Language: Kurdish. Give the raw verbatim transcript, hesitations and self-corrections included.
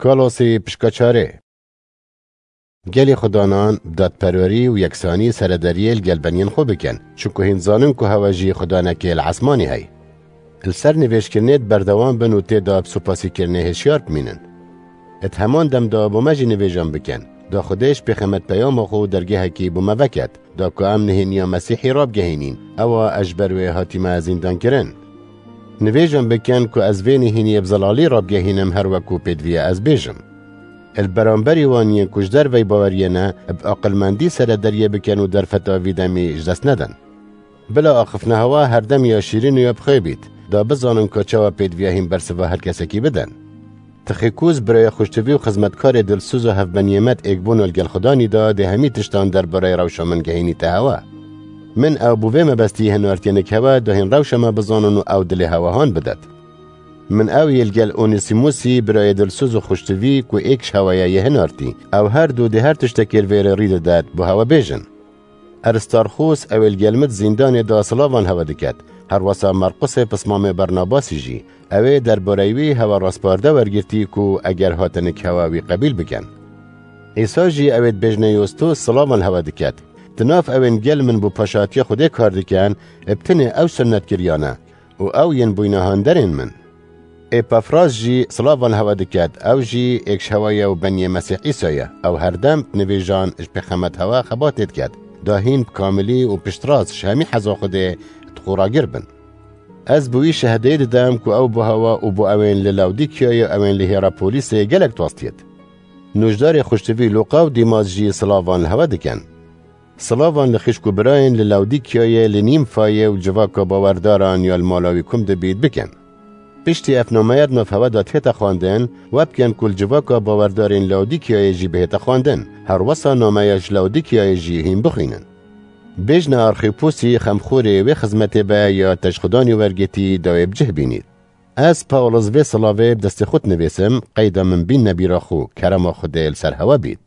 Kolosî pişka çarê. Gelî xudanan bi dadperwerî û yeksanî seredariyê li gel beniyên xwe bikin, çunku hîn zanin ku hewa jî xudanekê li esmanî heye. Li ser nivêjkirinê di berdewam bin û tê de bi supasîkirinê hişyar bimînin. Di heman dem de bo me jî nivêjan bikin, da Xwedê ji pêxemet peyama xwe û dergehekî bo me veket, da ku em nihêniya Mesîhî rabgehînîn, ewa ez ji ber wê hatîme zîndankirin. Nivêjan bikin ku ez vê nihêniyê bi zelalî rabgehînim, her wek ku pêdiviye ez bêjim. Li beramberî wan yên ku ji derveyî baweriyê ne, bi aqilmendî seredariyê bikin û derfeta vî demî ji dest nedin. Bila axiftina hewa her dem ya şîrîn û ya bi xêr bît, da bizanin ku çawa pêdiviya hîn bersiva her kesekî bidin. Tixîkûz birayê xweştivî û xizmetkarê dilsoz û hevbeniyê me di êkbûna li gel xudanî de dê hemî tiştan derbareyê rewşa min gehînîte hewa. Min ew bo vê mebestî hinartiye nik hewa da hîn rewşa me bizanin û ew dilê hewa han bidet. Min ew yê li gel Onîsîmûsî, birayê dilsoz û xweştivî ku êk ji hewa ye, yê hinartî. Ew her du dê her tiştekê li vê rê rî didet bo hewa bêjin. Eristarxûs, ew ê li gel min di zîndanê de silavan hewa diket. Herwesa Marqusê pismamê Bernabasî jî, ew ê derbareyî wî hewa rasparde wergirtî ku eger hate nik hewa wî qebîl bikin. Îsa jî ew ê dibêjne Yostos silavan hewa diket. Di nav ew ên gel min bo paşatiya Xwedê kar dikin, bi tinê ew sunnetkiriyane û ew yên bûyne handerên min. Êpafras jî silavan hewa diket, ew jî êk ji hewa ye û beniyê Mesîh Îsa ye. Ew her dem di nivêjan ji pêxemet hewa xebatê diket, da hîn bi kamilî û piştrast ji hemî heza Xwedê di xwe ragir bin. Ez bi wî şehedeyê didem ku ew bo hewa û bo ew ên li Lawdîkiyayê û ew ên li Hîrapolîsê gelek tostiyêt. Nûjdarê xweştivî Lûqa û Dîmas jî silavan hewa dikin. Silavan li xişk û birayên li Lawdîkiyayê, li Nîmfayê û civaka bawerdaran ya li mala wî kum dibît bikin. Piştî ev nameya di nav hewa de tête xwendin, we bikin ku li civaka bawerdarên Lawdîkiyayê jî bihête xwendin. Herwesa nameya ji Lawdîkiyayê jî hîn bixwînin. Bêjne Arxîpûsî xemxûrê wê xizmetê be ya te ji xudanî wergirtî da wê bi cih bînît. Ez Pawlos vê silavê bi destê xwe dinivîsim, qeyda min bîn nebîra xwe, kerema Xwedê li ser hewa bît.